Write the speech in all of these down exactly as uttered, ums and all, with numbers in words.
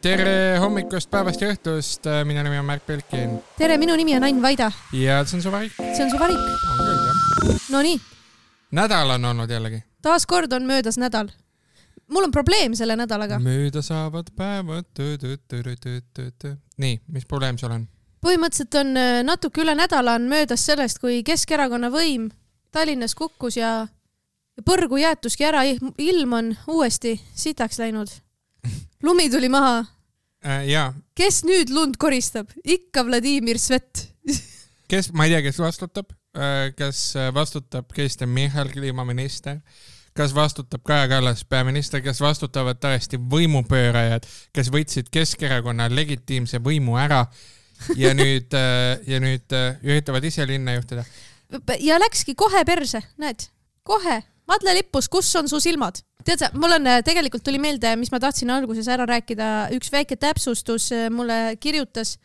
Tere hommikust, päevast ja õhtust, minu nimi on Märk Pelkin. Tere, minu nimi on Ain Vaida. Ja see on su varik. See on su varik. On küll, jah. No nii. Nädal on olnud jällegi. Taas kord on möödas nädal. Mul on probleem selle nädalaga. Mööda saavad päevad. Nii, mis probleem sul on? Põhimõtteliselt on natuke üle nädala on möödas sellest, kui Keskerakonna võim Tallinnas kukkus ja põrgu jäetuski ära. Ilm on uuesti sitaks läinud. Lumi tuli maha. Äh, jaa. Kes nüüd lund koristab? Ikka Vladimir Svet. Kes, ma ei tea, kes vastutab. Kas vastutab Kristen Michal, kliimaminister? Kas vastutab Kaja Kallas, peaminister? Kas vastutavad tõesti võimupöörajad, kes võtsid Keskerakonna legitiimse võimu ära ja nüüd, ja nüüd üritavad ise linna juhtida? Ja läkski kohe perse, näed? Kohe. Madle lippus, kus on su silmad? Tead sa, mul on tegelikult tuli meelde, mis ma tahtsin alguses ära rääkida. Üks väike täpsustus mulle kirjutas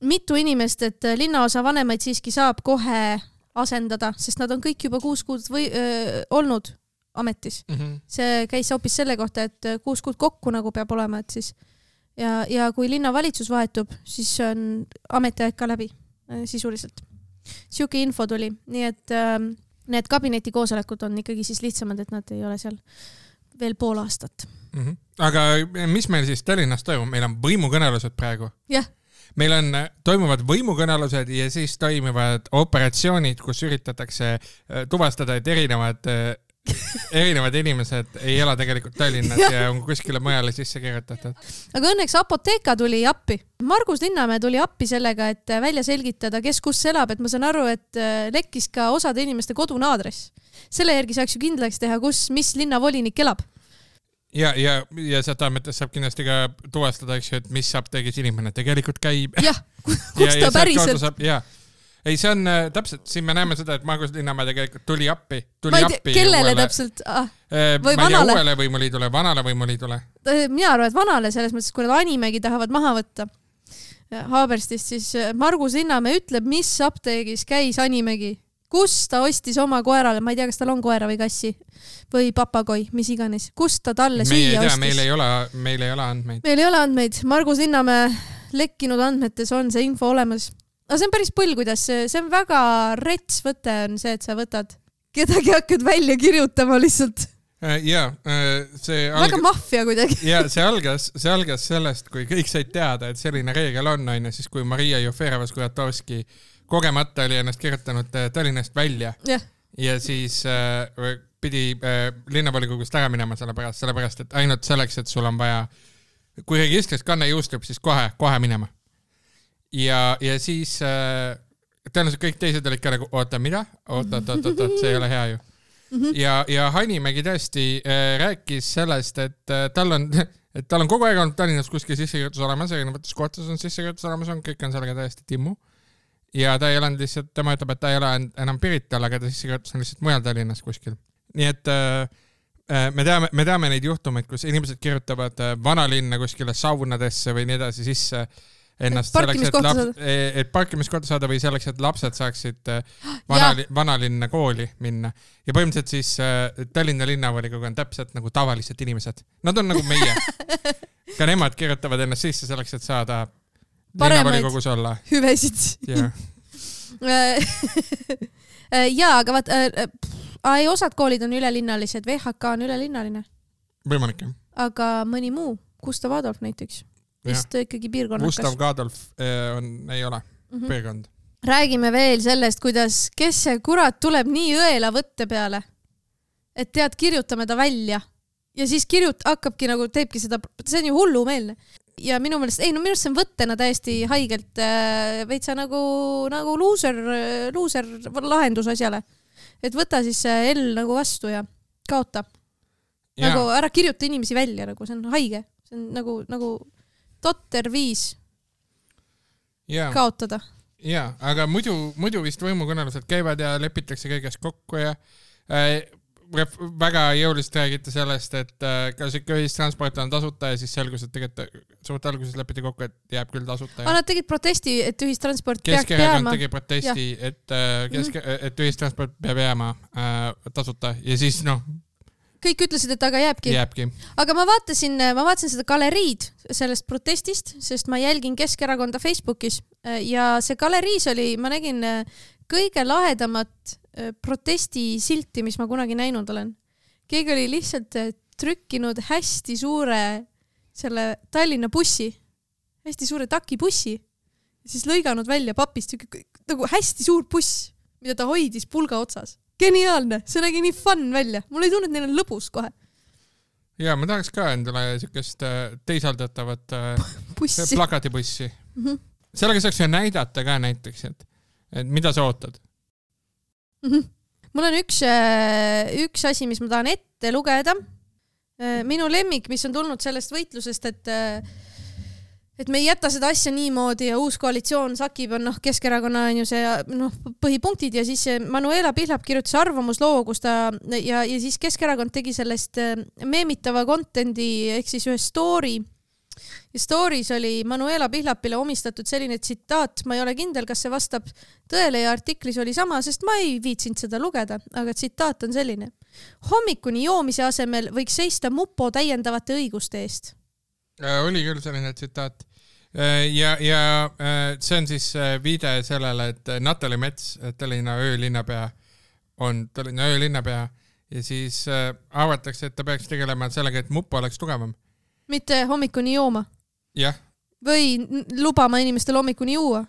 mitu inimest, et linnaosa vanemaid siiski saab kohe asendada, sest nad on kõik juba kuus kuud või, öö, olnud ametis. Mm-hmm. See käis hoopis selle kohta, et kuus kuud kokku nagu peab olema, et siis ja, ja kui linnavalitsus vahetub, siis on ametiaeg ka läbi sisuliselt. Siuke info tuli, nii et öö, need kabineti koosolekud on ikkagi siis lihtsamad, et nad ei ole seal veel pool aastat. Mm-hmm. Aga mis meil siis Tallinnas toimub? Meil on võimukõnelused praegu. Jah. Meil on, toimuvad võimukõnelused ja siis toimuvad operatsioonid, kus üritatakse tuvastada, et erinevad, erinevad inimesed ei ela tegelikult Tallinnas ja. ja on kuskile mujale sisse kirjutatud. Aga õnneks Apoteeka tuli appi. Margus Linnamäe tuli appi sellega, et välja selgitada, kes kus elab, et ma saan aru, et lekkis ka osade inimeste kodune aadress. Selle järgi saaks ju kindlaks teha, kus, mis linnavolinik elab. Ja, ja, ja seda mõttes saab kindlasti ka tuvastada, eks ju, et mis apteegis inimene tegelikult käib. Jah, kus ta päriselt. Saab, ja. Ei, see on täpselt, siin me näeme seda, et Margus Linnamäe tegelikult tuli appi. Tuli ma ei tea, appi kellele uuele, täpselt? Ah, või ma vanale? Uuele võimuliidule, vanale võimuliidule. Mina arvan, et vanale selles mõttes, kui nad Animegi tahavad maha võtta Haaberstist, siis Margus Linnamäe ütleb, mis apteegis käis Animegi. Kus ta ostis oma koerale, ma ei tea, kas tal on koera või kassi või papagoi, mis iganes. Kus ta talle süüa ostis? Meil ei ole, meil ei ole andmeid. Meil ei ole andmeid. Margus Linnamäe lekkinud andmetes on see info olemas. Aga see on päris põll, kuidas see on väga rets võte on see, et sa võtad kedagi hakkad välja kirjutama lihtsalt. Ja, see alg... väga mafia kuidagi. Ja see algas, see algas sellest, kui kõik said teada, et selline reegel on, on siis kui Maria Jufereva-Skuratovski kogemata oli ennast kirjutanud Tallinnast välja ja, ja siis äh, pidi äh, linnavolikogust ära minema sellepärast, sellepärast, et ainult selleks, et sul on vaja, kui registris kanne jõustub, siis kohe, kohe minema. Ja, ja siis äh, tõenäoliselt kõik teised olid ka nagu, oota, mida? Oota, oota, oota, oota, see ei ole hea ju. Mm-hmm. Ja, ja Hanimägi tõesti äh, rääkis sellest, et äh, tal on, et tal on kogu aeg olnud Tallinnas kuskil sissekirjutus olemas, erinevates kohtades on sissekirjutus olemas, on, kõik on sellega täiesti timmu. Ja ta ei ole lihtsalt, tema ütleb, et ta ei ole enam Pirital, aga ta sissekirjutus on lihtsalt mujal Tallinnas kuskil. Nii et äh, me, teame, me teame neid juhtumeid, kus inimesed kirjutavad äh, vanalinna kuskile saunadesse või nii edasi sisse ennast selleks, et, laps, et parkimiskohta saada või selleks, et lapsed saaksid vanali, vanalinna kooli minna. Ja põhimõtteliselt siis äh, Tallinna linnavolikogu on täpselt nagu tavalised inimesed. Nad on nagu meie. Ka nemad kirjutavad ennast sisse selleks, et saada paremaid olla. Hüvesid. Yeah. Jaa, aga vaat, äh, osad koolid on ülelinnalised, V H K on ülelinnaline. Võimalik, jah. Aga mõni muu, Gustav Adolf näiteks. Vist ikkagi piirkonnakas. Gustav Adolf on, ei ole mm-hmm. piirkond. Räägime veel sellest, kuidas kes see kurat tuleb nii õela võtte peale, et tead, kirjutame ta välja. Ja siis kirjut, hakkabki nagu, teebki seda, see on ju hullumeelne. Ja minu meelest, ei no minu meelest see on võttena täiesti haigelt äh, veitsa nagu, nagu loser, loser lahendus asjale. Et võta siis L nagu vastu ja kaota. Ja. Nagu ära kirjuta inimesi välja, nagu see on haige. See on nagu, nagu totter viis ja. Kaotada. Ja, aga muidu, muidu vist võimukõnelused käivad ja lepitakse kõigest kokku ja äh, väga jõuliselt räägite sellest, et äh, kas ikka ühistransport on tasuta ja siis selgus, et tegelikult suurt alguses lepiti kokku, et jääb küll tasuta. Ja. Nad tegid protesti, et ühistransport peaks jääma. Keskerakond tegi protesti, et, äh, keske, mm-hmm. et ühistransport peab jääma äh, tasuta ja siis noh, kõik ütlesid, et aga jääbki. jääbki. Aga ma vaatasin, ma vaatasin seda galeriid sellest protestist, sest ma jälgin Keskerakonda Facebookis ja see galeriis oli, ma nägin kõige lahedamat protestisilti, mis ma kunagi näinud olen. Keegi oli lihtsalt trükkinud hästi suure selle Tallinna bussi, hästi suure takibussi ja siis lõiganud välja papist nagu hästi suur buss, mida ta hoidis pulga otsas. Geniaalne, see nägi nii fun välja. Mul ei tunne, et neil on lõbus kohe. Ja ma tahaks ka endale sükest teisaldatavat bussi. Plakatibussi. Mm-hmm. Sellega saaks ju näidata ka näiteks, et, et mida sa ootad. Mm-hmm. Mul on üks, üks asi, mis ma tahan ette lugeda. Minu lemmik, mis on tulnud sellest võitlusest, et et me ei jäta seda asja niimoodi ja uus koalitsioon sakib on noh, Keskerakonna on ju see noh, põhipunktid ja siis Manuela Pihlap kirjutas arvamusloo, kus ta ja, ja siis Keskerakond tegi sellest meemitava contendi ehk siis ühe story. Ja stories oli Manuela Pihlapile omistatud selline tsitaat, ma ei ole kindel, kas see vastab tõele ja artiklis oli sama, sest ma ei viitsinud seda lugeda, aga tsitaat on selline. Hommikuni joomise asemel võiks seista mupo täiendavate õiguste eest. Oli küll selline tsitaat. Ja, ja see on siis viide sellele, et Natali Mets, Tallinna öölinnapea, on Tallinna öölinnapea ja siis avatakse, et ta peaks tegelema sellega, et mupo oleks tugevam. Mitte hommikuni jooma. Jah. Või lubama inimestel hommikuni juua.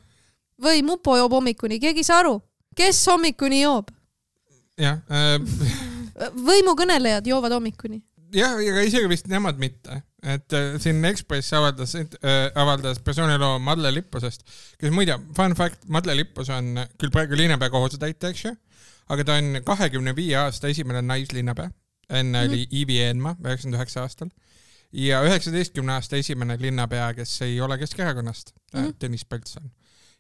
Või mupo joob hommikuni. Keegi saa aru. Kes hommikuni joob? Jah. Äh... Võimukõnelejad joovad hommikuni. Jah, aga isegi vist nemad mitte. Et äh, siin Ekspress avaldas, äh, avaldas persooniloo Madle Lippusest, kes muide, fun fact, Madle Lippus on küll praegu linnapea kohusetäitja, eks ju, aga ta on kahekümne viie aasta esimene naislinnapea. Enne mm-hmm. oli Iivi Eenma üheksakümmend üheksa aastal. Ja üheksateistkümne aasta esimene linnapea, kes ei ole Keskerakonnast, mm-hmm. Tõnis Pöltson.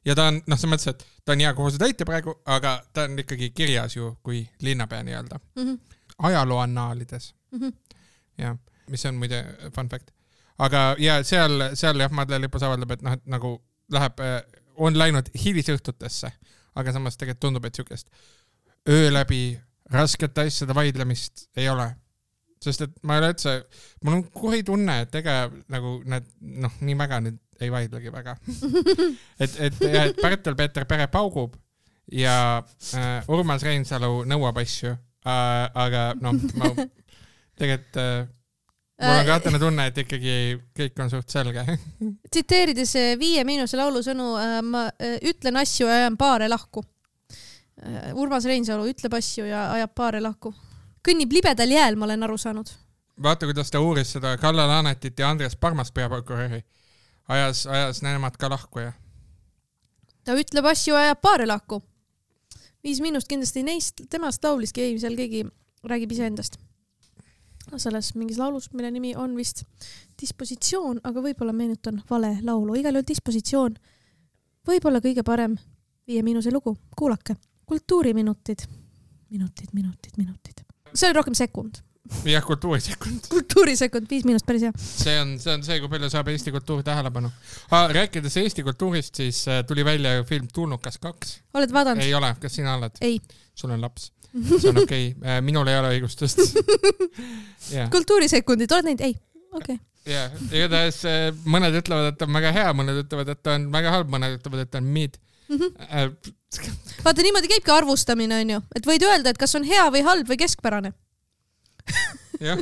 Ja ta on, noh, see mõttes, et ta on hea kohusetäitja praegu, aga ta on ikkagi kirjas ju kui linnapea nii-öelda. Mm-hmm. Ajalooannaalides. Mm-hmm. Ja, mis on muide fun fact. Aga ja seal, seal jah, Madle Lippus avaldab, et noh, et nagu läheb, on läinud hilisõhtutesse, aga samas tegelikult tundub, et sükest öö läbi raskete asjade vaidlemist ei ole. Sest et ma ei ole üldse, mul on kuri tunne, et ega nagu need, noh, nii väga nüüd ei vaidlegi väga. et, et, ja, et Pärtel Peeter Pere paugub ja äh, Urmas Reinsalu nõuab asju, äh, aga noh, ma tegelikult äh, mul on kahtene tunne, et ikkagi kõik on suht selge. Tsiteerides Viie Miinuse laulu sõnu, äh, ma äh, ütlen asju ja ajan paare lahku. Äh, Urmas Reinsalu ütleb asju ja ajab paare lahku. Kõnnib libedal jääl, ma olen aru saanud. Vaata, kuidas ta uuris seda Kalle Laanetit ja Andres Parmas peaprokuröri. Ajas, ajas nemad ka lahku ja. Ta ütleb asju ja ajab paare lahku. Viis Miinust kindlasti neist, temast lauliski, ei, seal keegi räägib ise endast. Selles mingis laulus, mille nimi on vist Dispositsioon, aga võib-olla meenutan vale laulu. Igal juhul Dispositsioon. Võib-olla kõige parem Viie Miinuse lugu. Kuulake. Kultuuriminutid. Minutid, minutid, minutid. See oli rohkem sekund. Jah, kultuurisekund. Kultuurisekund, viis miinust päris hea. See on, see on see, kui palju saab Eesti kultuur tähelepanu. Ah, rääkides Eesti kultuurist, siis tuli välja film Tulnukas kaks. Oled vaadanud? Ei ole. Kas sina oled? Ei. Sul on laps. See on okei. Okay. Minul ei ole õigustust. Yeah. Kultuurisekundid, oled neid? Ei. Okei. Okay. Ja, igatahes mõned ütlevad, et on väga hea, mõned ütlevad, et on väga halb, mõned ütlevad, et on mid. Mm-hmm. Vaata, niimoodi käibki arvustamine, on ju. Et võid öelda, et kas on hea või halb või keskpärane. Jah.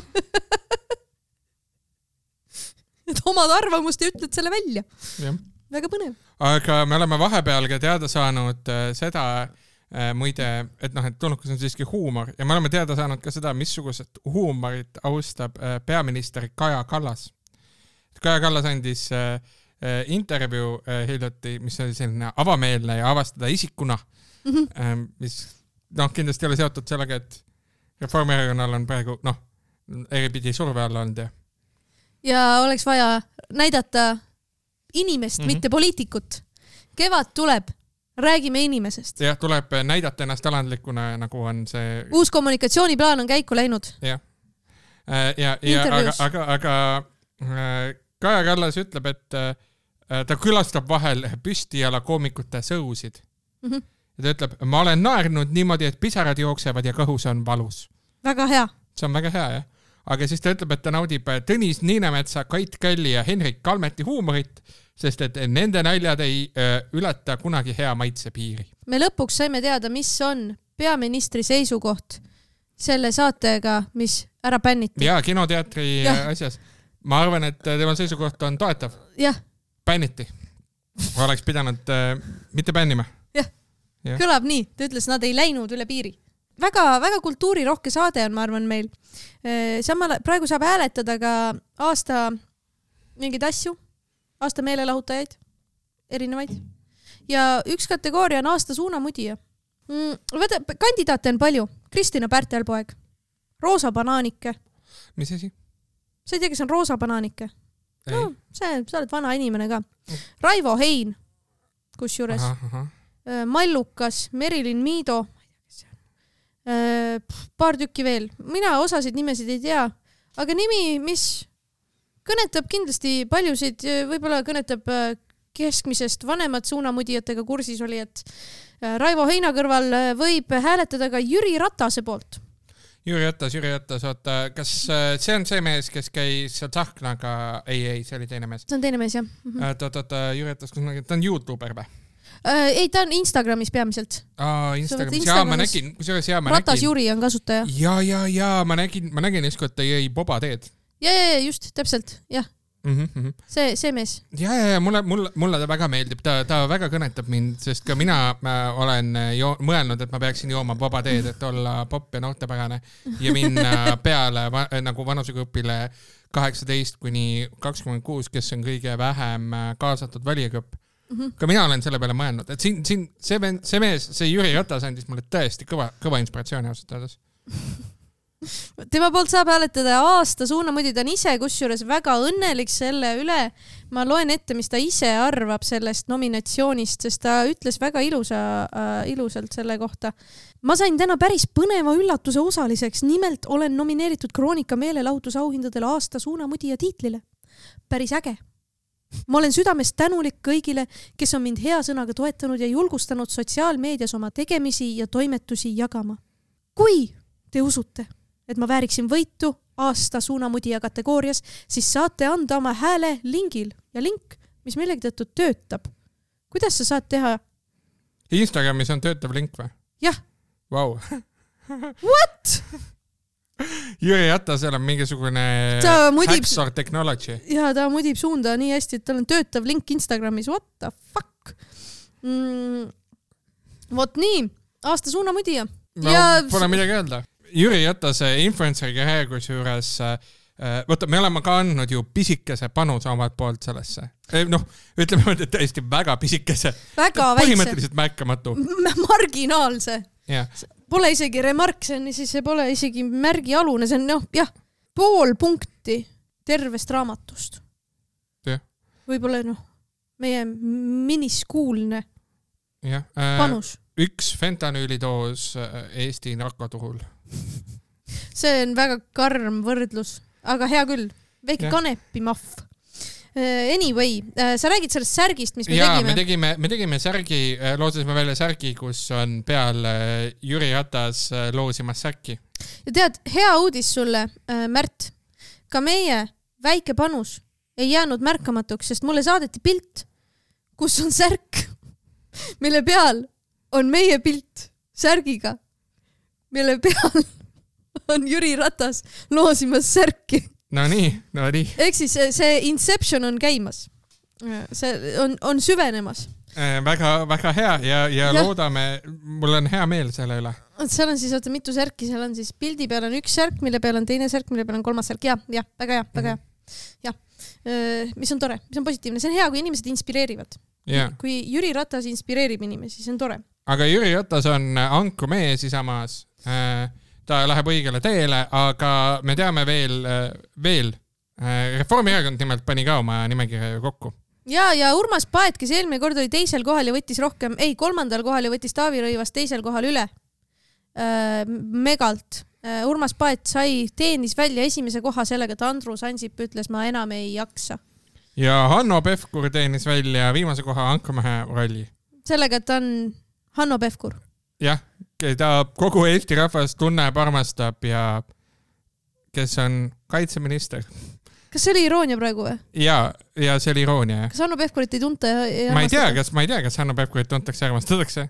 Et omad arvamust ja ütled selle välja. Jah. Väga põnev. Aga me oleme vahepeal ka teada saanud seda äh, muide, et noh, et Tulnukas on siiski huumor ja me oleme teada saanud ka seda, missugused huumorit austab äh, peaminister Kaja Kallas. Kaja Kallas andis äh, intervjuu äh, hiljuti, mis oli selline avameelne ja avastada isikuna, mm-hmm. äh, mis noh, kindlasti oli seotud sellega, et Reformierakonnal on praegu, noh, eripidi surve alla olnud ja. Ja oleks vaja näidata inimest, mm-hmm. mitte poliitikut. Kevad tuleb, räägime inimesest. Jah, tuleb näidata ennast alandlikuna, nagu on see... Uus kommunikatsiooniplaan on käiku läinud. Jah. Ja, ja, aga, aga, aga Kaja Kallas ütleb, et ta külastab vahel püstijala koomikute sõusid. Mm-hmm. Ja ta ütleb, ma olen naernud niimoodi, et pisarad jooksevad ja kõhus on valus. Väga hea. see on väga hea, jah. Aga siis ta ütleb, et ta naudib Tõnis Niinemetsa, Kait Kalli ja Henrik Kalmeti huumorit, sest et nende naljad ei öö, ületa kunagi hea maitse piiri. Me lõpuks saime teada, mis on peaministri seisukoht selle saatega, mis ära bänniti. Jaa, kinoteatri ja. asjas. Ma arvan, et tema seisukoht on toetav. Jah. Bänniti. Oleks pidanud äh, mitte bännima. Jah, ja. Kõlab nii. Ta ütles, nad ei läinud üle piiri. Väga, väga kultuurirohke saade on, ma arvan, meil. Samal, praegu saab hääletada ka aasta mingeid asju, aasta meelelahutajaid, erinevaid. Ja üks kategooria on aasta suunamudija. Mm, võta, kandidaate on palju. Kristina Pärtelpoeg, Roosa Banaanike. Mis asi? Sa ei tea, kes on Roosa Banaanike? No, see, sa oled vana inimene ka. Raivo Hein, kus juures. Aha, aha. Mallukas, Merilin Miido, paar tükki veel. Mina osasid nimesid ei tea, aga nimi, mis kõnetab kindlasti paljusid, võib-olla kõnetab keskmisest vanemad suunamudijatega kursis oli, et Raivo Heina kõrval võib hääletada ka Jüri Ratase poolt. Jüri Ratas, Jüri Ratas, oota, kas see on see mees, kes käis seal Tsahknaga? Ei, ei, see oli teine mees. See on teine mees, jah. Mm-hmm. Oota, oota, Jüri Ratas, ta on YouTuber või? Äh, ei, ta on Instagramis peamiselt. Aa, Instagramis. Jaa, ma nägin, kusjuures jaa, ma nägin. Ratas Jüri on kasutaja. Jaa, jaa, jaa, ma nägin, ma nägin iskut, ta jõi boba teed. Ja, ja, ja, just, täpselt, jah. Mm-hmm. See, see mees. Ja, ja, ja, mulle, mulle, mulle ta väga meeldib, ta, ta väga kõnetab mind, sest ka mina olen jo- mõelnud, et ma peaksin jooma boba teed, et olla popp ja noortepärane ja minna peale va, nagu vanusegrupile kaheksateist kuni kakskümmend kuus, kes on kõige vähem kaasatud valijagrupp. Mm-hmm. Ka mina olen selle peale mõelnud, et siin, siin see, see mees, see Jüri Ratas andis mulle tõesti kõva, kõva inspiratsiooni ausalt öeldes. Tema poolt saab hääletada aasta suunamudi, ta on ise kusjuures väga õnnelik selle üle. Ma loen ette, mis ta ise arvab sellest nominatsioonist, sest ta ütles väga ilusa, äh, ilusalt selle kohta. Ma sain täna päris põneva üllatuse osaliseks, nimelt olen nomineeritud Kroonika meelelahutusauhindadele aasta suunamudija tiitlile. Päris äge. Ma olen südamest tänulik kõigile, kes on mind hea sõnaga toetanud ja julgustanud sotsiaalmeedias oma tegemisi ja toimetusi jagama. Kui te usute, et ma vääriksin võitu aasta suunamudija kategoorias, siis saate anda oma hääle lingil ja link, mis millegi tõttu töötab. Kuidas sa saad teha? Instagramis on töötav link või? Jah. Wow. What? Jüri Ratasel on mingisugune hacksor technology. Ja ta mudib suunda nii hästi, et tal on töötav link Instagramis. What the fuck? Mm, vot nii, aasta suunamudija. No, ja... pole midagi öelda. Jüri Ratase influenceri karjäär kusjuures, võtta, me oleme ka andnud ju pisikese panuse omalt poolt sellesse. Noh, ütleme, et tõesti väga pisikese. Väga põhimõtteliselt väikse. Märkamatu. Marginaalse. Yeah. Pole isegi remark, see, on, siis see pole isegi märgialune, see on noh, jah, pool punkti tervest raamatust. Yeah. Võib-olla noh, meie miniskuulne yeah. äh, panus. Üks fentanüülidoos Eesti narkoturul. See on väga karm võrdlus, aga hea küll. Väike yeah. kanepi mahv. Anyway, sa räägid sellest särgist, mis me ja, tegime. Me tegime, me tegime särgi, loosisime välja särgi, kus on peal Jüri Ratas loosimas särki. Ja tead, hea uudis sulle, Märt. Ka meie väike panus ei jäänud märkamatuks, sest mulle saadeti pilt, kus on särk, mille peal on meie pilt särgiga, mille peal on Jüri Ratas loosimas särki. No nii, no nii. Ehk siis see Inception on käimas. See on, on süvenemas. Äh, väga, väga hea ja, ja, ja loodame, mul on hea meel selle üle. Seal on siis oota, mitu särki, seal on siis pildi peal on üks särk, mille peal on teine särk, mille peal on kolmas särk. Ja, ja, väga hea, väga hea. Ja, mis on tore, mis on positiivne. See on hea, kui inimesed inspireerivad. Yeah. Kui Jüri Ratas inspireerib inimesi, see on tore. Aga Jüri Ratas on anku mees Isamaas. Äh, ta läheb õigele teele, aga me teame veel, veel. Reformierakond nimelt pani ka oma nimekirja kokku. Ja, ja Urmas Paet, kes eelmine kord oli teisel kohal ja võttis rohkem, ei, kolmandal kohal ja võttis Taavi Rõivas teisel kohal üle. Megalt. Urmas Paet sai, teenis välja esimese koha sellega, et Andrus Ansip ütles, ma enam ei jaksa. Ja Hanno Pevkur teenis välja viimase koha Ankrmehe rolli. Sellega, et ta on Hanno Pevkur. Jah, ta kogu Eesti rahvas tunneb, armastab ja kes on kaitseminister. Kas see oli iroonia praegu või? Ja, ja see oli iroonia. Kas Hanno Pevkurit ei tunta ja, ja ma ei tea, kas, ma ei tea, kas Hanno Pevkurit tuntakse ja armastatakse.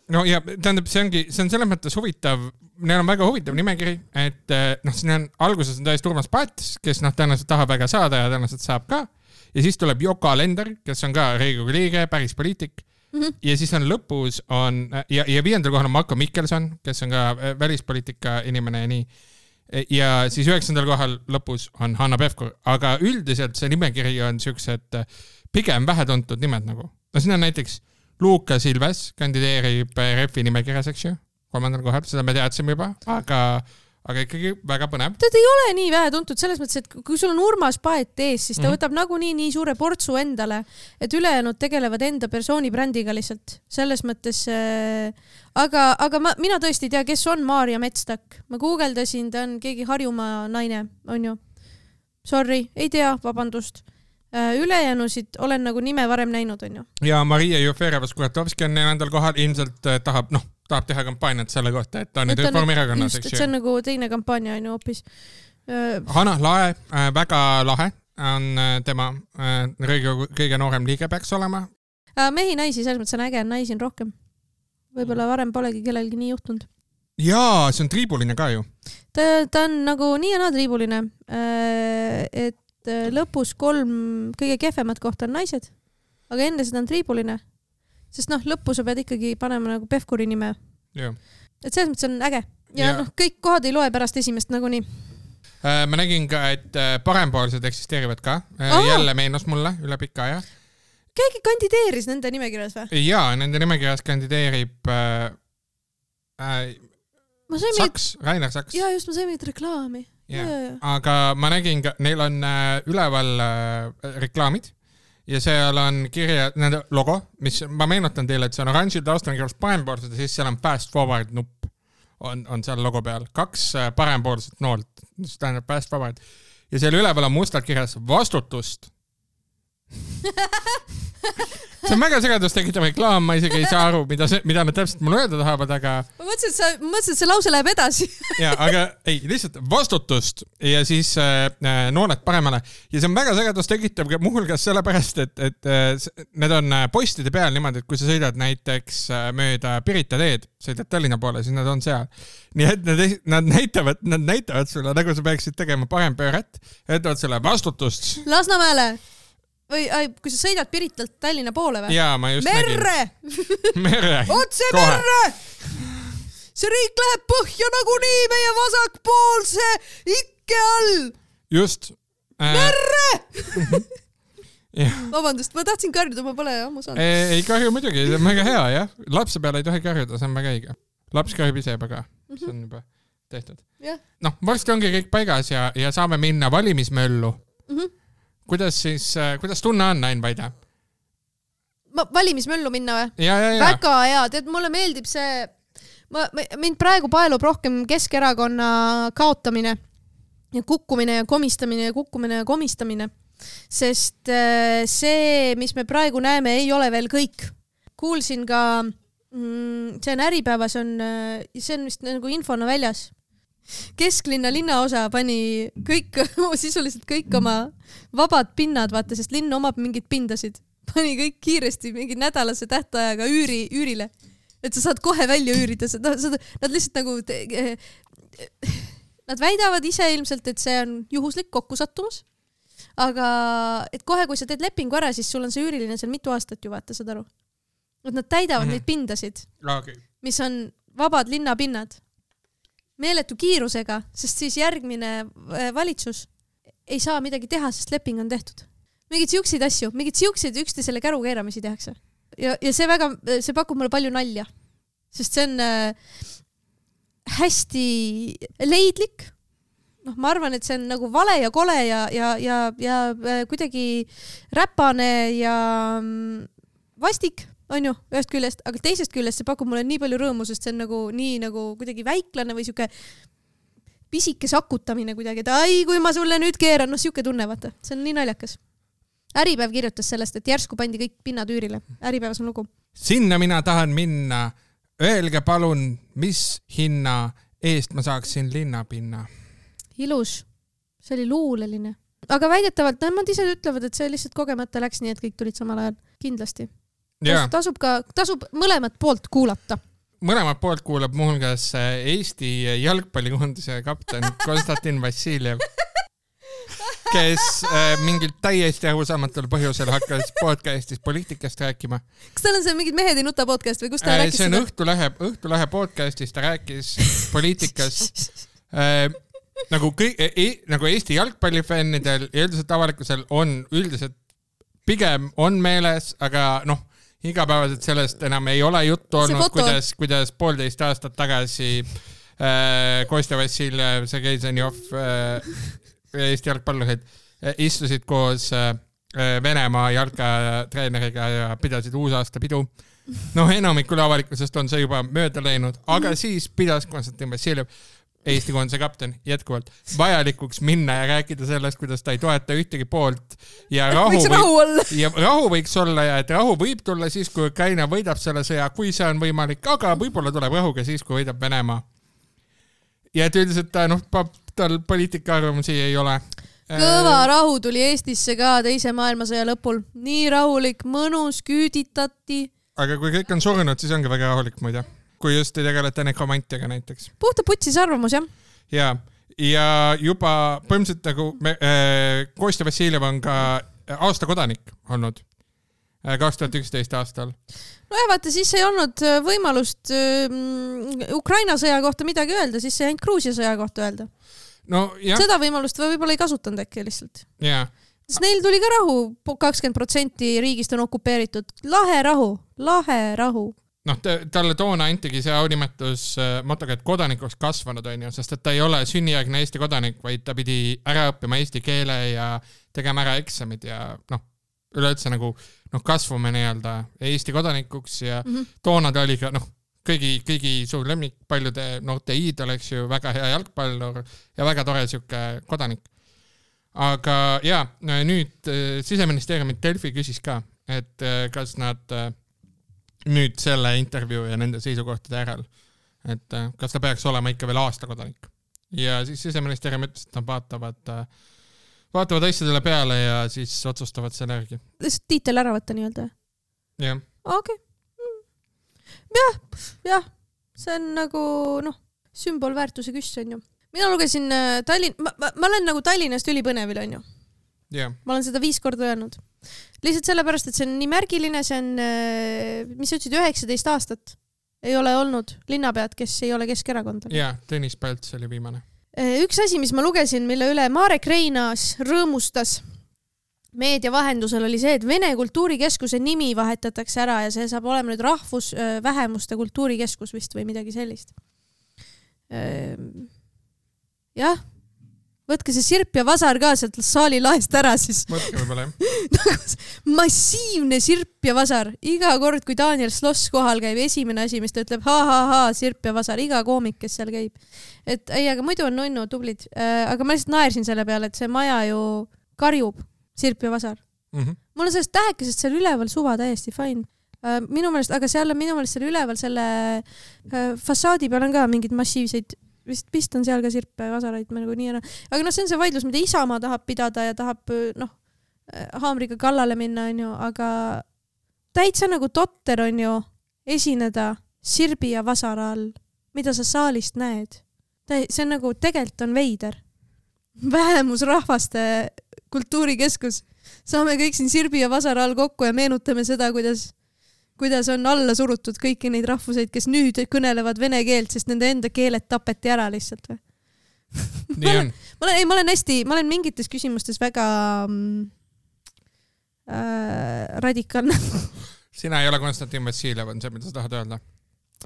No ja tähendab, see ongi, see on selles mõttes huvitav, neil on väga huvitav nimekiri, et noh, siin on alguses on täiesti Urmas Paet, kes noh, tõenäoliselt tahab väga saada ja tõenäoliselt saab ka. Ja siis tuleb Yoko Alender, kes on ka Riigikogu liige, päris poliitik. Mm-hmm. Ja siis on lõpus on, ja, ja viiendal kohal on Marko Mikkelson, kes on ka välispoliitika inimene ja nii. Ja siis üheksandal kohal lõpus on Hanno Pevkur, aga üldiselt see nimekiri on siuksed pigem vähetuntud nimed nagu. No siin on näiteks Luukas Ilves kandideerib Refi nimekirjas, eks ju, kolmandal kohal, seda me teadsime juba, aga, aga ikkagi väga põnev. Ta ei ole nii vähe tuntud selles mõttes, et kui sul on Urmas Paet ees, siis ta mm-hmm. võtab nagunii nii suure portsu endale, et ülejäänud tegelevad enda persooni brändiga lihtsalt. Selles mõttes, äh, aga, aga ma, mina tõesti ei tea, kes on Maarja Metstak. Ma guugeldasin, ta on keegi Harjumaa naine, on ju. Sorry, ei tea, vabandust. Ülejäänusid olen nagu nime varem näinud, on ju. Ja Maria Jufereva-Skuratovski on neljandal kohal, ilmselt tahab, noh, tahab teha kampaaniat selle kohta, et ta on nüüd Reformierakonnas, eks ju. See on nagu teine kampaania, on ju, hoopis. Hanah Lae, väga lahe on tema Riigikogu kõige noorem liige peaks olema. Mehi naisi, selles mõttes on äge, naisi on rohkem. Võib-olla varem polegi kellelgi nii juhtunud. Jaa, see on triibuline ka ju. Ta, ta on nagu nii ja naa triibuline, et lõpus kolm kõige kehvemat kohta on naised, aga enne seda on triibuline, sest noh, lõppu sa pead ikkagi panema nagu Pevkuri nime. Ja. Et selles mõttes on äge. Ja, ja noh, kõik kohad ei loe pärast esimest nagu nii. Ma nägin ka, et parempoolsed eksisteerivad ka. Aha. Jälle meenus mulle üle pika aja. Keegi kandideeris nende nimekirjas või? Jaa, nende nimekirjas kandideerib äh, äh, Saks, meid... Rainer Saks. Jaa, just ma sain meid reklaami. Yeah. Yeah. Aga ma nägin ka, neil on äh, üleval äh, reklaamid ja seal on kirja nende logo, mis ma meenutan teile, et see on oranžil taustal kirjas parempoolsed ja siis seal on fast forward nupp on, on seal logo peal. Kaks äh, parempoolset noolt, mis tähendab fast forward. Ja seal üleval on mustalt kirjas vastutust. See on väga segadust tekitav reklaam, ma isegi ei saa aru, mida, see, mida nad täpselt mulle öelda tahavad, aga... Ma mõtlesin, et, sa, mõtlesin, et see lause läheb edasi. Ja, aga ei, lihtsalt vastutust ja siis äh, nooled paremale. Ja see on väga segadust tekitav muuhulgas sellepärast, et, et äh, need on postide peal niimoodi, et kui sa sõidad näiteks äh, mööda Pirita teed, sõidad Tallinna poole, siis nad on seal. Nii et nad, nad, näitavad, nad näitavad sulle, nagu sa peaksid tegema parem pööret, ütlevad selle vastutust. Lasnamäele! Või ai, kui sa sõidad Piritalt Tallinna poole või? Jaa, ma just merre! nägin. Merre! Otse kohe. Merre! See riik läheb põhja nagu nii meie vasakpoolse ikke all! Just. Äh... Merre! Ja. Vabandust, ma tahtsin karjuda, ma pole ammu saanud. Ei, ei karju muidugi, see on väga hea, jah. Lapse peale ei tohi karjuda, see on väga õige. Laps karjub ise juba ka, see on juba tehtud. Yeah. Noh, varsti ongi kõik paigas ja, ja saame minna valimismöllu. Mhm. Kuidas siis, kuidas tunne on, Ain Vaide? Ma valimismöllu minna või? Ja, ja, ja. Väga hea, tead, mulle meeldib see, ma, mind praegu paelub rohkem Keskerakonna kaotamine ja kukkumine ja komistamine ja kukkumine ja komistamine, sest see, mis me praegu näeme, ei ole veel kõik. Kuulsin ka, see on Äripäevas, on, see on vist nagu infona väljas. Kesklinna linnaosa pani kõik, sisuliselt kõik oma vabad pinnad, vaata, sest linn omab mingid pindasid. Pani kõik kiiresti mingi nädalase tähtajaga üüri, üürile. Et sa saad kohe välja üürida. Nad lihtsalt nagu... Nad väidavad ise ilmselt, et see on juhuslik kokkusattumus. Aga et kohe, kui sa teed lepingu ära, siis sul on see üüriline seal mitu aastat ju, vaata, saad aru. Et nad täidavad mm-hmm. neid pindasid, okay. mis on vabad linnapinnad. Meeletu kiirusega, sest siis järgmine valitsus ei saa midagi teha, sest leping on tehtud. Mingid siukseid asju, mingid siukseid üksteisele käru keeramisi tehakse. Ja, ja see, väga, see pakub mulle palju nalja, sest see on äh, hästi leidlik. No, ma arvan, et see on nagu vale ja kole ja, ja, ja, ja äh, kuidagi räpane ja mm, vastik. On ju, ühest küljest, aga teisest küljest see pakub mulle nii palju rõõmu, sest see on nagu nii nagu kuidagi väiklane või siuke pisike sakutamine kuidagi, et ai, kui ma sulle nüüd keeran, noh siuke tunne, vaata, see on nii naljakas. Äripäev kirjutas sellest, et järsku pandi kõik pinnad üürile. Äripäevas on lugu. Sinna mina tahan minna. Öelge palun, mis hinna eest ma saaksin linnapinna? Ilus. see oli luuleline. Aga väidetavalt, nemad ise ütlevad, et see lihtsalt kogemata läks nii, et kõik tulid samal ajal. Kindlasti. Yeah. Tasub ka, tasub mõlemat poolt kuulata. Mõlemat poolt kuulab muuhulgas Eesti jalgpallikoondise kapten Konstantin Vassiljev, kes äh, mingilt täiesti arusaamatul põhjusel hakkas podcastis poliitikast rääkima. Kas tal on see mingid mehed ei nuta podcast või kus ta äh, rääkis see on seda? Õhtulehe, Õhtulehe podcastis, ta rääkis poliitikast äh, nagu, kõik, e, nagu Eesti jalgpallifännidel ja üldiselt avalikkusel on üldiselt pigem on meeles, aga noh, igapäevaselt sellest enam ei ole juttu olnud, kuidas, kuidas poolteist aastat tagasi äh, Kostja Vassiljev, Sergei Zenjov äh, Eesti jalgpallurid istusid koos Venemaa jalkatreeneriga ja pidasid uusaasta pidu. Noh, enamikul avalikkusest on see juba mööda läinud, aga siis pidas Konstantin Vassiljev, Eesti koondise kapten, jätkuvalt vajalikuks minna ja rääkida sellest, kuidas ta ei toeta ühtegi poolt ja rahu, võiks rahu olla. ja rahu võiks olla ja et rahu võib tulla siis, kui Ukraina võidab selle sõja, kui see on võimalik, aga võib-olla tuleb rahuga siis, kui võidab Venemaa. Ja et üldiselt ta, noh, tal poliitika arvamusi ei ole. Kõva rahu tuli Eestisse ka teise maailmasõja lõpul. Nii rahulik, mõnus, küüditati. Aga kui kõik on surnud, siis ongi väga rahulik muide. Kui just ei tegeleta nekromantiaga näiteks. Puhta putsis arvamus, jah? Ja, ja juba põhimõtteliselt nagu me, äh, Kostja Vassiljev on ka aasta kodanik olnud kaks tuhat üksteist aastal. No ja vaata, siis ei olnud võimalust um, Ukraina sõja kohta midagi öelda, siis ei ainult Gruusia sõja kohta öelda. No, jah. Seda võimalust võib-olla ei kasutanud äkki lihtsalt. Yeah. Sest neil tuli ka rahu, kakskümmend protsenti riigist on okupeeritud. Lahe rahu, lahe rahu. Noh, talle toona antigi see aunimetus motoga, et kodanikuks kasvanud on ju, sest et ta ei ole sünnijärgne Eesti kodanik, vaid ta pidi ära õppima eesti keele ja tegema ära eksamid ja noh, üleüldse nagu noh, kasvume nii-öelda Eesti kodanikuks ja mm -hmm. toona ta oli ka noh, kõigi, kõigi suur lemmik, paljude noorte iidol, eks ju, väga hea jalgpallur ja väga tore siuke kodanik. Aga ja, nüüd Siseministeeriumit Delfi küsis ka, et kas nad nüüd selle intervjuu ja nende seisukohtade järel, et kas ta peaks olema ikka veel aasta kodanik. Ja siis Siseministeerium ütles, et nad vaatavad, vaatavad asjadele peale ja siis otsustavad selle järgi. Tiitel ära võtta nii-öelda? Jah. Okei. Jah, jah, see on nagu noh, sümbolväärtuse küss on ju. Mina lugesin Tallinn, ma, ma, ma olen nagu Tallinnast ülipõnevil on ju. Yeah. Ma olen seda viis korda öelnud. Lihtsalt sellepärast, et see on nii märgiline, see on, mis ütlesid, üheksateist aastat ei ole olnud linnapead, kes ei ole Keskerakondal. Jaa, Tõnis Pälts oli viimane. Üks asi, mis ma lugesin, mille üle Marek Reinaas rõõmustas meedia vahendusel, oli see, et Vene kultuurikeskuse nimi vahetatakse ära ja see saab olema nüüd rahvusvähemuste kultuurikeskus vist või midagi sellist. Jah, võtke see sirp ja vasar ka sealt saali laest ära siis. Võtke võib-olla, jah. Massiivne sirp ja vasar. Iga kord, kui Daniel Sloss kohal käib, esimene asi, mis ta ütleb, ha-ha-ha, sirp ja vasar. Iga koomik, kes seal käib. Et ei, aga muidu on nunnu tublid. Aga ma lihtsalt naersin selle peale, et see maja ju karjub sirp ja vasar. Mm -hmm. Mul on sellest tähekesest seal üleval suva täiesti fine. Minu meelest, aga seal on minu meelest seal üleval selle fassaadi peal on ka mingid massiivseid vist, vist on seal ka sirpe ja vasaraid nagu nii ära. Aga noh, see on see vaidlus, mida Isamaa tahab pidada ja tahab noh, haamriga kallale minna, on ju, aga täitsa nagu totter on ju esineda sirbi ja vasara all, mida sa saalist näed. See on nagu, tegelikult on veider. Vähemusrahvaste kultuurikeskus. Saame kõik siin sirbi ja vasara all kokku ja meenutame seda, kuidas kuidas on alla surutud kõiki neid rahvuseid, kes nüüd kõnelevad vene keelt, sest nende enda keeled tapeti ära lihtsalt või? Nii on. Ma olen, ei, ma olen hästi, ma olen mingites küsimustes väga mm, äh, radikaalne. Sina ei ole Konstantin Vassiljev, on see, mida sa tahad öelda?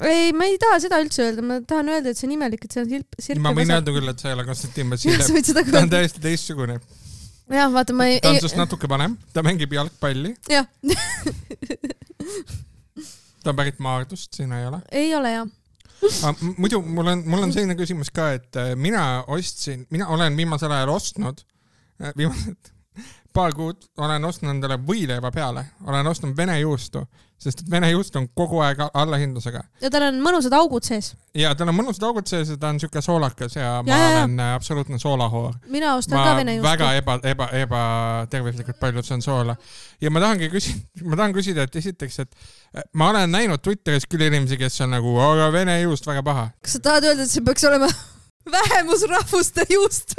Ei, ma ei taha seda üldse öelda, ma tahan öelda, et see on imelik, et see on sirp, sirp ma võin öelda küll, et sa ei ole Konstantin Vassiljev. Ta on täiesti teistsugune. Jah, vaata, ma ei... Ta on sest natuke panem, ta mängib jalgpalli. Jah. Ta on pärit Maardust, sina ei ole? Ei ole, jah. Muidu mul on, mul on selline küsimus ka, et mina ostsin, mina olen viimasel ajal ostnud, viimased paar kuud olen ostnud endale võileiva peale, olen ostnud vene juustu, sest et vene juust on kogu aeg allahindlusega. Ja tal on mõnusad augud sees. Ja tal on mõnusad augud sees ja ta on siuke soolakas ja, ja ma ja, olen ja. absoluutne soolahoor. Mina ostan ma ka vene juustu. Väga eba, eba, eba tervislikult palju see on soola. Ja ma tahangi küsida, ma tahan küsida, et esiteks, et ma olen näinud Twitteris küll inimesi, kes on nagu, aga vene juust väga paha. Kas sa tahad öelda, et see peaks olema vähemusrahvuste juust?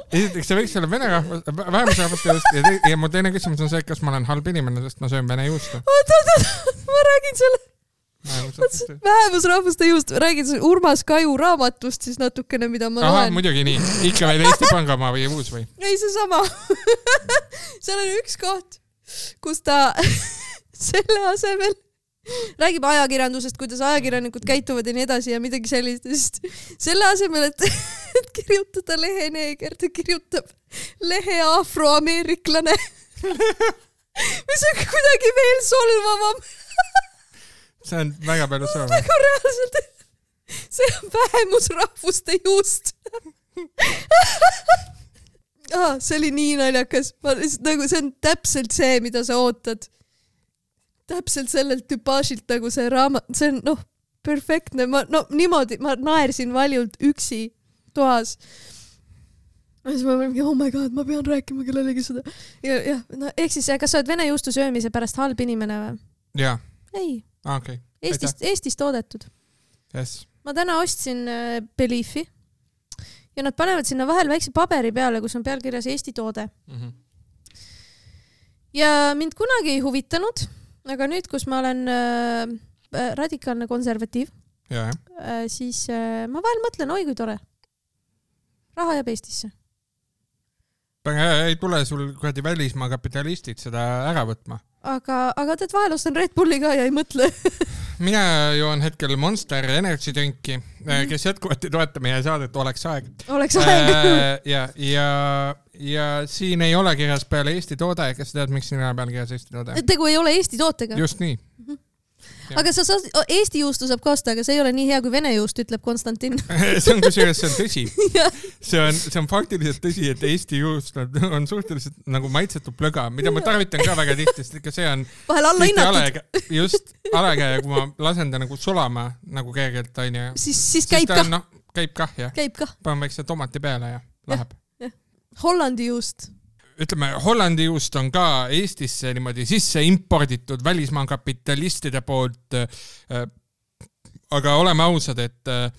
Esiteks, see võiks olla vene rahvus, vähemusrahvuste juust ja, te, ja mu teine küsimus on see, kas ma olen halb inimene, sest ma söön vene juustu. Oot, oot, oot, ma räägin selle vähemusrahvuste juust, räägin selle Urmas Kaju raamatust siis natukene, mida ma Aha, loen. Muidugi nii. Ikka veel Eesti Pangamaa või uus või? Ei, see sama. Seal on üks koht, kus ta selle asemel räägib ajakirjandusest, kuidas ajakirjanikud käituvad ja nii edasi ja midagi sellist. Sest selle asemel, et, et kirjutada lehe neeger, ta kirjutab lehe afroameeriklane. Mis on kuidagi veel solvavam. See on väga palju solvavam. Nagu reaalselt. See on vähemusrahvuste juust. Ah, see oli nii naljakas. Ma, nagu, see on täpselt see, mida sa ootad. Täpselt sellelt tüpaažilt nagu see raamat, see on noh, perfektne, ma no niimoodi, ma naersin valjult üksi toas. Ja siis ma mõtlen, oh my god, ma pean rääkima kellelegi seda. Ja, ja, no, ehk siis, kas sa oled vene juustu söömise pärast halb inimene või? Jaa. Ei. Ah, okay. Eestist, Eestist toodetud. Yes. Ma täna ostsin äh, Beliefi ja nad panevad sinna vahel väikse paberi peale, kus on pealkirjas Eesti toode. Mm-hmm. Ja mind kunagi ei huvitanud. Aga nüüd, kus ma olen äh, radikaalne konservatiiv, ja, äh, siis äh, ma vahel mõtlen, oi kui tore. Raha jääb Eestisse. Ei tule sul kuradi välismaa kapitalistid seda ära võtma. Aga, aga tead vahel ostan Red Bulli ka ja ei mõtle. Mina joon hetkel Monster Energy drinki, mm-hmm. kes jätkuvalt ei toeta meie saadet Oleks aeg. Oleks aeg. ja, ja, ja siin ei ole kirjas peale Eesti toode, kes tead, miks siin ei ole peale kirjas Eesti toode? Tegu ei ole Eesti tootega. Just nii. Mm-hmm. Aga sa saad, Eesti juustu saab ka osta, aga see ei ole nii hea kui Vene juust, ütleb Konstantin. see on kusjuures, see on tõsi. see, on, see on faktiliselt tõsi, et Eesti juust on, on suhteliselt nagu maitsetu plöga, mida ma tarvitan ka väga tihti, sest ikka see on vahel alla hinnatud. Just alakäe, kui ma lasen ta nagu sulama nagu kergelt, on ju. Siis, siis käib kah. No, käib kah, jah. Käib kah. Panen väikse tomati peale ja läheb. Ja, ja. Hollandi juust. Ütleme, Hollandi juust on ka Eestisse niimoodi sisse imporditud välismaa kapitalistide poolt, äh, aga oleme ausad, et äh,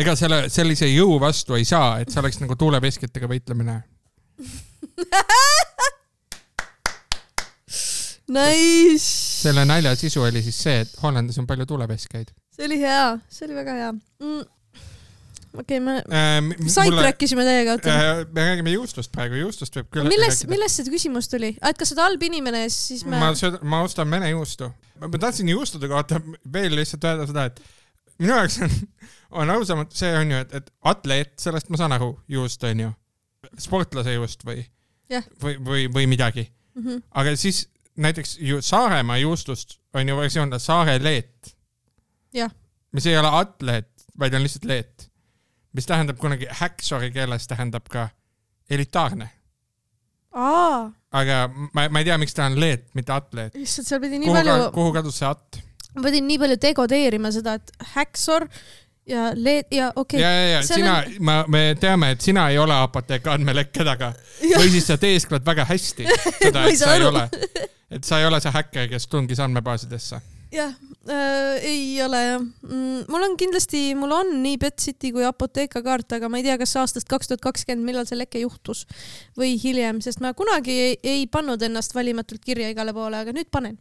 ega selle, sellise jõu vastu ei saa, et see oleks nagu tuuleveskitega võitlemine. Nice! Selle nalja sisu oli siis see, et Hollandis on palju tuuleveskeid. See oli hea, see oli väga hea. Mm. Okei, okay, me äh, sait mulle, rääkisime teiega. Äh, me räägime juustust praegu, juustust võib küll milles, milles see küsimus tuli? Et kas sa oled halb inimene, siis me... Ma, sööd, ma ostan vene juustu. Ma tahtsin juustude kohta veel lihtsalt öelda seda, et minu jaoks on, on ausamalt see on ju, et, et atleet, sellest ma saan aru, juust on ju, sportlase juust või, yeah. või, või, või midagi. Mm-hmm. Aga siis näiteks ju Saaremaa juustust on ju versioon Saare leet, yeah. mis ei ole atleet, vaid on lihtsalt leet. Mis tähendab kunagi häksori keeles tähendab ka elitaarne. Aa. Aga ma, ma ei tea, miks ta on leet, mitte atleet. Issand, seal pidi nii kuhu, palju... Kuhu kadus see at? Ma pidin nii palju dekodeerima seda, et häksor ja leet ja okei. Okay. Ja, ja, ja sina, on... ma, me teame, et sina ei ole apoteeka andmelekke taga. Või siis sa teesklad väga hästi seda, et sa ei ole. Et sa ei ole see häkker, kes tungis andmebaasidesse. Jah, äh, ei ole jah. Mm, mul on kindlasti, mul on nii Betsiti kui apoteeka kaart, aga ma ei tea, kas aastast kaks tuhat kakskümmend, millal see leke juhtus või hiljem, sest ma kunagi ei, ei pannud ennast valimatult kirja igale poole, aga nüüd panen.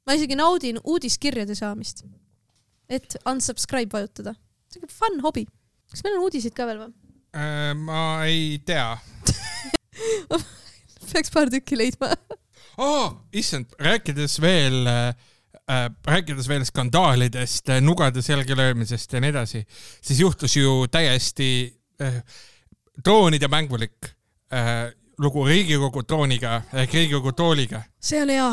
Ma isegi naudin uudiskirjade saamist, et unsubscribe vajutada. See on fun hobi. Kas meil on uudisid ka veel või? Äh, ma ei tea. Peaks paar tükki leidma. oh, issand, rääkides veel... Äh, rääkides veel skandaalidest, nugade selge löömisest ja nii edasi, siis juhtus ju täiesti äh, droonide mängulik äh, lugu Riigikogu drooniga ehk Riigikogu tooliga. See on hea.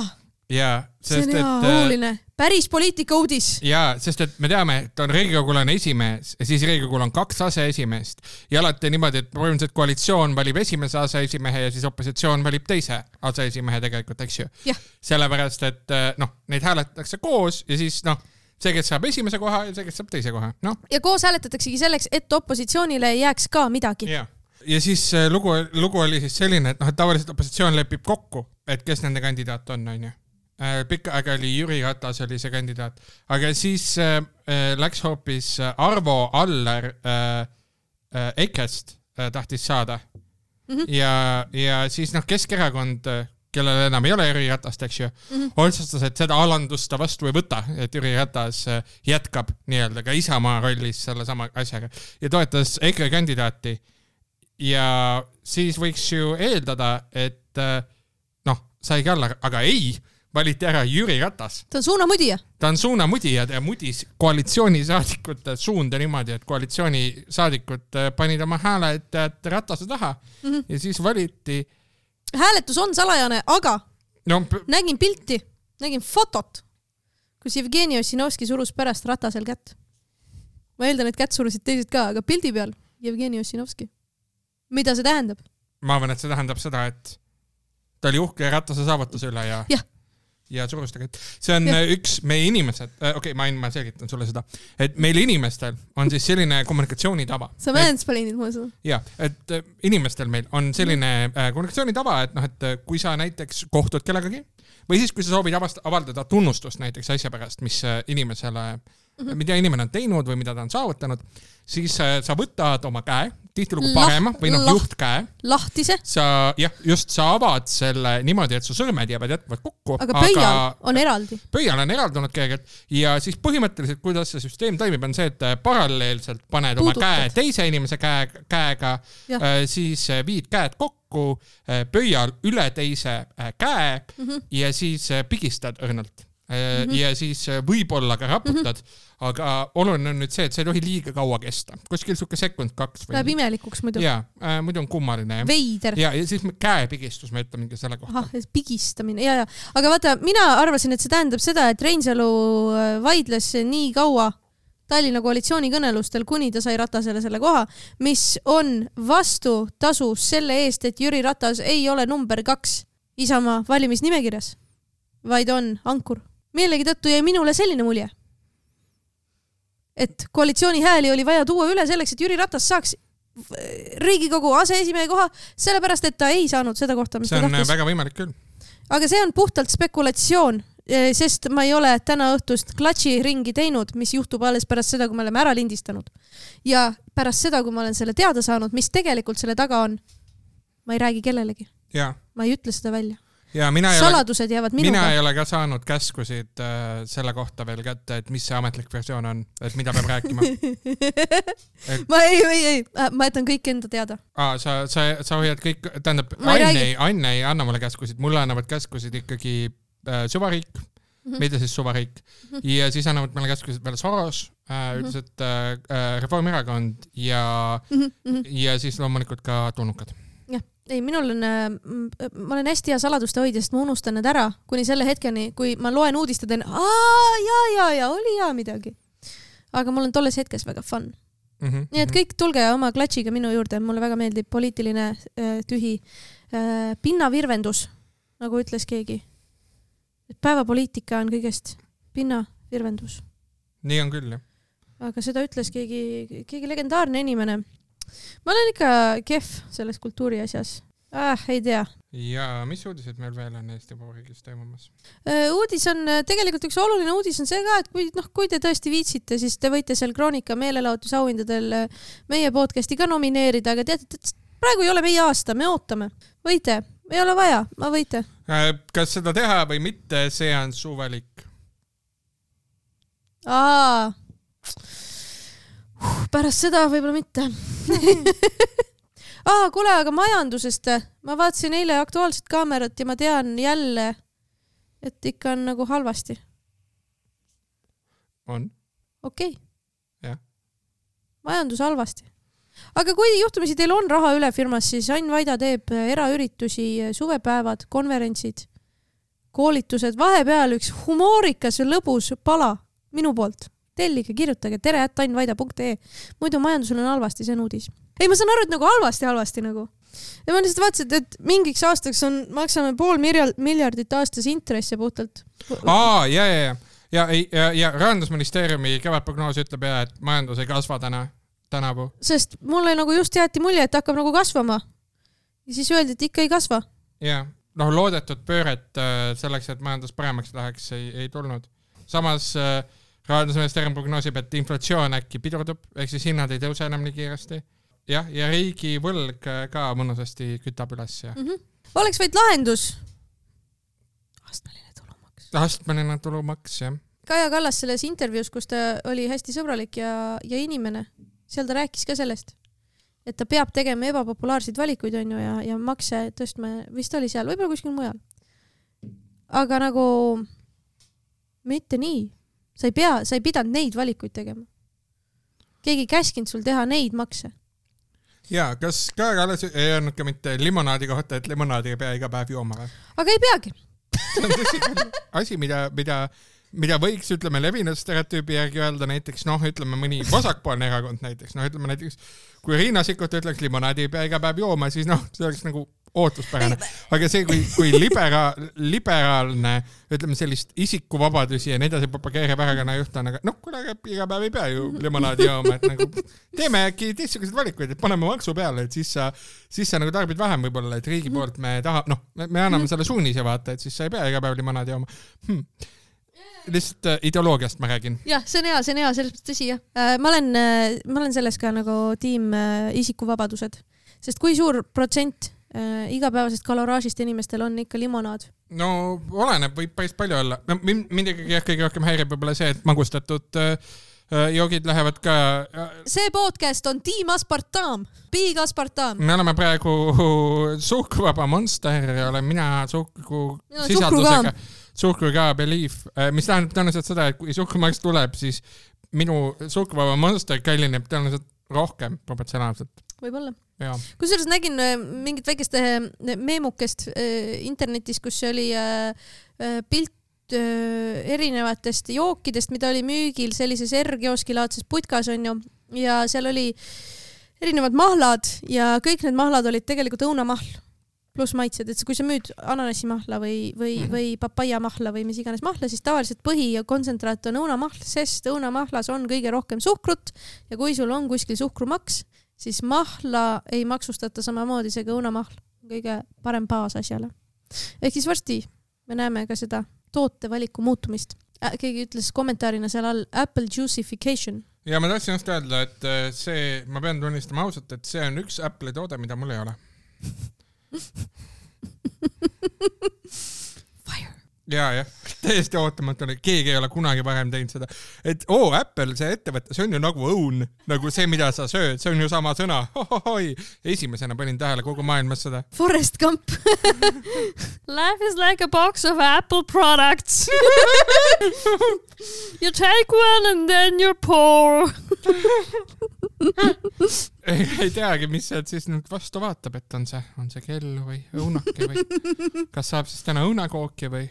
jaa, see sest on hea, et oluline. Päris poliitika uudis. jaa, sest et me teame, et on Riigikogul on esimees ja siis Riigikogul on kaks aseesimeest ja alati niimoodi, et põhimõtteliselt koalitsioon valib esimese aseesimehe ja siis opositsioon valib teise aseesimehe tegelikult, eks ju. Sellepärast, et noh, neid hääletatakse koos ja siis noh, see, kes saab esimese koha ja see, kes saab teise koha. No. Ja koos hääletataksegi selleks, et opositsioonile jääks ka midagi. Ja, ja siis lugu, lugu oli siis selline, et noh, et tavaliselt opositsioon lepib kokku, et kes nende kandidaat on, on ju. Pikka aega oli Jüri Ratas oli see kandidaat, aga siis äh, läks hoopis Arvo Aller äh, äh, Ekest äh, tahtis saada mm-hmm. ja, ja siis noh, Keskerakond, kellel enam ei ole Jüri Ratast, eks ju, mm-hmm. otsustas, et seda alandust ta vastu ei võta, et Jüri Ratas äh, jätkab nii-öelda ka Isamaa rollis selle sama asjaga ja toetas EKRE kandidaati ja siis võiks ju eeldada, et äh, noh, saigi alla, aga ei, valiti ära Jüri Ratas. Ta on suunamudija. Ta on suunamudija ja mudis koalitsioonisaadikute suunda niimoodi, et koalitsioonisaadikud panid oma hääle, et, et Ratase taha mm-hmm. ja siis valiti. Hääletus on salajane, aga no, p- nägin pilti, nägin fotot, kus Jevgeni Ossinovski surus pärast Ratasel kätt. Ma eeldan, et kätt surusid teised ka, aga pildi peal Jevgeni Ossinovski. Mida see tähendab? Ma arvan, et see tähendab seda, et ta oli uhke Ratase saavutuse üle ja... jah. ja surustega. See on ja. üks meie inimesed, okei, okay, ma, ma selgitan sulle seda, et meil inimestel on siis selline kommunikatsioonitava. Sa mansplainid mulle seda? Jah, et inimestel meil on selline mm. kommunikatsioonitava, et noh, et kui sa näiteks kohtud kellegagi või siis kui sa soovid avaldada tunnustust näiteks asja pärast, mis inimesele mm-hmm. mida inimene on teinud või mida ta on saavutanud, siis sa võtad oma käe, tihtilugu parema või noh, juhtkäe. Lahtise. Sa, jah, just sa avad selle niimoodi, et su sõrmed jäävad jätkuvalt kokku. Aga pöial aga, on eraldi. Pöial on eraldunud kõigelt ja siis põhimõtteliselt, kuidas see süsteem toimib, on see, et paralleelselt paned Puudutad. Oma käe teise inimese käe, käega, äh, siis viid käed kokku, äh, pöial üle teise äh, käe mm-hmm. ja siis äh, pigistad õrnalt. Mm-hmm. ja siis võib-olla ka raputad, mm-hmm. aga oluline on nüüd see, et see ei tohi liiga kaua kesta. Kuskil suke sekund kaks. Või... Läheb imelikuks muidu. Jaa, äh, muidu on kummaline. Veider. Ja, ja siis käepigistus, me ütleme selle kohta. Aha, pigistamine, ja, ja. Aga vaata, mina arvasin, et see tähendab seda, et Reinsalu vaidles nii kaua Tallinna koalitsiooni kõnelustel, kuni ta sai Ratasele selle koha, mis on vastu tasu selle eest, et Jüri Ratas ei ole number kaks Isamaa valimisnimekirjas, vaid on ankur. Meelegi tõttu jäi minule selline mulje, et koalitsiooni hääli oli vaja tuua üle selleks, et Jüri Ratas saaks Riigikogu aseesimehe koha, sellepärast, et ta ei saanud seda kohta, mis see ta tahtis. See on väga võimalik küll. Aga see on puhtalt spekulatsioon, sest ma ei ole täna õhtust klatši ringi teinud, mis juhtub alles pärast seda, kui me oleme ära lindistanud. Ja pärast seda, kui ma olen selle teada saanud, mis tegelikult selle taga on, ma ei räägi kellelegi. Ja. Ma ei ütle seda välja. Ja mina saladused jäävad minuga. Mina ei ole ka saanud käskusid äh, selle kohta veel kätte, et mis see ametlik versioon on, et mida peab rääkima. Et... ma ei, ei, ei, ma jätan kõik enda teada. Aa, sa, sa, sa hoiad kõik, tähendab, Anne ei, Anne ei anna mulle käskusid, mulle annavad käskusid ikkagi äh, Suvariik, mm-hmm. mida siis Suvariik, mm-hmm. ja siis annavad meile käskusid veel Soros, äh, üldiselt äh, Reformierakond ja, mm-hmm. ja siis loomulikult ka tulnukad. Ei, minul on, ma olen hästi hea saladuste hoidja, sest ma unustan need ära kuni selle hetkeni, kui ma loen uudist ja teen, aa, ja, ja, ja, oli hea midagi. Aga mul on tolles hetkes väga fun. Mm-hmm. Nii et kõik tulge oma klatšiga minu juurde, mulle väga meeldib poliitiline tühi pinnavirvendus, nagu ütles keegi. Päevapoliitika on kõigest pinnavirvendus. Nii on küll, jah. Aga seda ütles keegi, keegi legendaarne inimene. Ma olen ikka kehv selles kultuuri asjas. Ah, ei tea. Ja mis uudised meil veel on Eesti Vabariigis toimumas? Uudis on, tegelikult üks oluline uudis on see ka, et kui, noh, kui te tõesti viitsite, siis te võite seal Kroonika meelelahutusauhindadel meie podcasti ka nomineerida, aga teate, et praegu ei ole meie aasta, me ootame. Võite, ei ole vaja, ma võite. Kas seda teha või mitte, see on su valik. Aa, pärast seda võib-olla mitte. ah, kuule, aga majandusest. Ma vaatasin eile Aktuaalset kaamerat ja ma tean jälle, et ikka on nagu halvasti. On? Okei. Okay. Jah. Majandus halvasti. Aga kui juhtumisi teil on raha üle firmas, siis Ain Vaida teeb eraüritusi, suvepäevad, konverentsid. koolitused, vahepeal üks humoorikas ja lõbus pala minu poolt. Tellige, kirjutage tere at annvaida punkt ee. Muidu majandusel on halvasti, see on uudis. Ei, ma saan aru, et nagu halvasti, halvasti nagu. Ja ma lihtsalt vaatasin, et mingiks aastaks on, maksame pool miljardit aastas intresse puhtalt. Aa, ja, ja, ja. Ja, ja, ja Rahandusministeeriumi kevadprognoos ütleb ja, et majandus ei kasva täna, tänavu. Sest mulle nagu just jäeti mulje, et hakkab nagu kasvama. Ja siis öeldi, et ikka ei kasva. Ja, noh, loodetud pööret selleks, et majandus paremaks läheks, ei, ei tulnud. Samas Rahandusministeerium prognoosib, et inflatsioon äkki pidurdub, ehk siis hinnad ei tõuse enam nii kiiresti. Jah, ja riigi võlg ka mõnusasti kütab üles. Ja. Mm-hmm. Oleks vaid lahendus. Astmeline tulumaks. Astmeline tulumaks, jah. Kaja Kallas selles intervjuus, kus ta oli hästi sõbralik ja, ja inimene, seal ta rääkis ka sellest, et ta peab tegema ebapopulaarseid valikuid on ju, ja, ja makse tõstma, vist oli seal, võib-olla kuskil mujal. Aga nagu mitte nii. Sa ei pea, sa ei pidanud neid valikuid tegema. Keegi käskinud sul teha neid makse. Jaa, kas Kaja Kallas ei öelnud ka mitte limonaadi kohta, et limonaadi ei pea iga päev jooma? Aga ei peagi. See on tõsi asi, mida, mida, mida võiks, ütleme, levinud stereotüübi järgi öelda näiteks, noh, ütleme mõni vasakpoolne erakond näiteks, noh, ütleme näiteks, kui Riina Sikkut ütleks limonaadi ei pea iga päev jooma, siis noh, see oleks nagu ootuspärane. Aga see, kui, kui libera, liberaalne, ütleme sellist isikuvabadusi ja nii edasi propageerib erakonna juht on, aga noh, kuna iga päev ei pea ju limonaadi jooma, et nagu teeme äkki teistsugused valikuid, et paneme maksu peale, et siis sa, siis sa nagu tarbid vähem võib-olla, et riigi poolt me taha, noh, me anname selle suunise vaata, et siis sa ei pea iga päev limonaadi jooma. Hmm. Lihtsalt äh, ideoloogiast ma räägin. Jah, see on hea, see on hea, selles tõsi jah. Äh, ma, olen, äh, ma olen selles ka nagu tiim äh, isikuvabadused, sest kui suur protsent äh, igapäevasest kaloraažist inimestel on ikka limonaad? No oleneb, võib päris palju olla. Mind ikkagi kõige rohkem häirib võib-olla see, et magustatud äh, joogid lähevad ka... See podcast on Team Aspartam, Big Aspartam. Me oleme praegu suhkruvaba Monster ja olen mina suhkru sisaldusega... Suhkru ka Belief, mis tähendab tõenäoliselt seda, et kui suhkrumaks tuleb, siis minu suhkruvaba Monster kallineb tõenäoliselt rohkem proportsionaalselt. Võib-olla. Kusjuures nägin mingit väikest meemukest internetis, kus oli pilt erinevatest jookidest, mida oli müügil sellises R-kioskilaadses putkas on ju, ja seal oli erinevad mahlad ja kõik need mahlad olid tegelikult õunamahl. Plus maitsed, et kui sa müüd ananassimahla või, või, mm. või papaiamahla või mis iganes mahla, siis tavaliselt põhi ja kontsentraat on õunamahl, sest õunamahlas on kõige rohkem suhkrut ja kui sul on kuskil suhkrumaks, siis mahla ei maksustata samamoodi, seega õunamahl kõige parem baas asjale. Ehk siis varsti me näeme ka seda tootevaliku muutumist. Keegi ütles kommentaarina seal all Apple juicification. Ja ma tahtsin just öelda, et see, ma pean tunnistama ausalt, et see on üks Apple'i toode, mida mul ei ole. Fire. Ja, jah, täiesti ootamatu, keegi ei ole kunagi varem teinud seda, et oo, Apple, see ettevõte, see on ju nagu õun, nagu see, mida sa sööd, see on ju sama sõna. Hohohoi. Esimesena panin tähele kogu maailmas seda. Forrest Gump. Life is like a box of Apple products. You take one and then you're poor. ei, ei teagi, mis sealt siis nüüd vastu vaatab, et on see, on see kell või õunake või kas saab siis täna õunakooki või?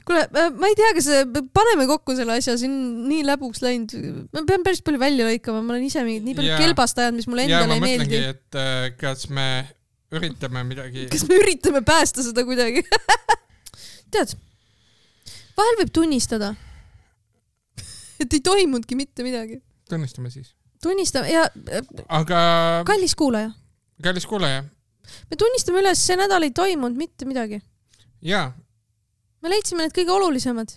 Kuule, ma ei tea, kas paneme kokku selle asja, siin nii läbuks läinud. Ma pean päris palju välja lõikama, ma olen ise mingid nii palju ja, kelbastajad, mis mulle endale ei meeldi. Ja ma mõtlengi, et kas me üritame midagi... Kas me üritame päästa seda kuidagi? Tead, vahel võib tunnistada, et ei toimundki mitte midagi. Tunnistame siis. Tunnistame ja aga... kallis kuulaja. Kallis kuulaja. Me tunnistame üles, see nädal ei toimunud mitte midagi. Jaa. Me leidsime need kõige olulisemad.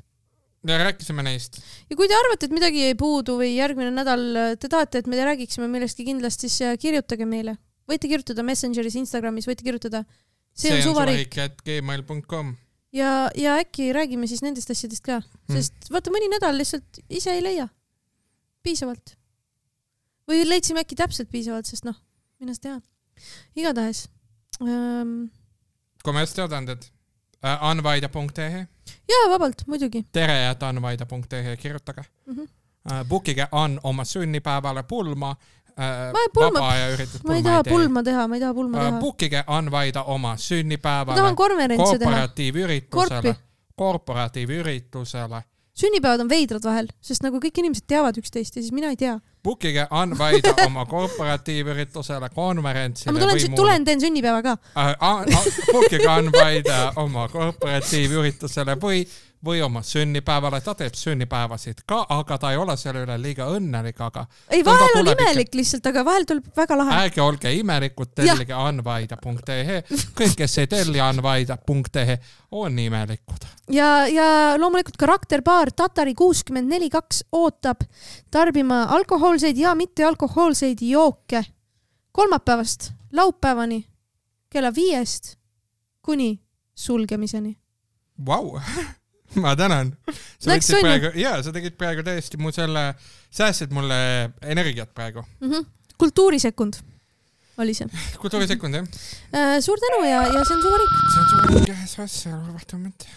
Ja rääkisime neist. Ja kui te arvate, et midagi ei puudu või järgmine nädal te tahate, et me räägiksime millestki kindlasti, siis kirjutage meile. Võite kirjutada Messengeris, Instagramis, võite kirjutada see on suvariik at gmail punkt com ja, ja äkki räägime siis nendest asjadest ka, sest hmm. vaata mõni nädal lihtsalt ise ei leia. Piisavalt. Või leidsime äkki täpselt piisavalt, sest noh, minnast teha. Igatahes. Ähm... Kommertsteadanded. anvaida punkt ee Jaa, vabalt, muidugi. Tere, et anvaida punkt ee kirjutage. Mm-hmm. Bookige Ann oma sünnipäevale pulma. Pulma. Vaba ja üritud pulma. Ma ei taha pulma teha, ma ei taha pulma teha. Bookige Anvaida oma sünnipäevale. Ma tahan konverentse teha. Kooperatiivüritusele. korporatiivüritusele. Sünnipäevad on veidrad vahel, sest nagu kõik inimesed teavad üksteist ja siis mina ei tea. Bookige Unvaida oma korporatiivüritusele, konverentsile. Ma tulen, tulen teen sünnipäeva ka. Bookige Unvaida oma korporatiivüritusele või või oma sünnipäevale, ta teeb sünnipäevasid ka, aga ta ei ole selle üle liiga õnnelik, aga ei, vahel on imelik lihtsalt, aga vahel tuleb väga lahe. Ärge olge imelikud, tellige unvaida punkt ee, kõik, kes ei telli unvaida punkt ee, on imelikud. Ja, ja loomulikult karakterbaar Tatari kuuskümmend neli kaks ootab tarbima alkohoolseid ja mitte alkohoolseid jooke kolmapäevast laupäevani kella viiest kuni sulgemiseni. Vau! Wow. Ma tänan. Sa, praegu, jaa, sa tegid praegu täiesti mu selle, säästsid mulle energiat praegu. Mm-hmm. Kultuurisekund oli see. Kultuurisekund, jah. Suur tänu ja, ja see on su varik. See on su varik, jah, see on su varik.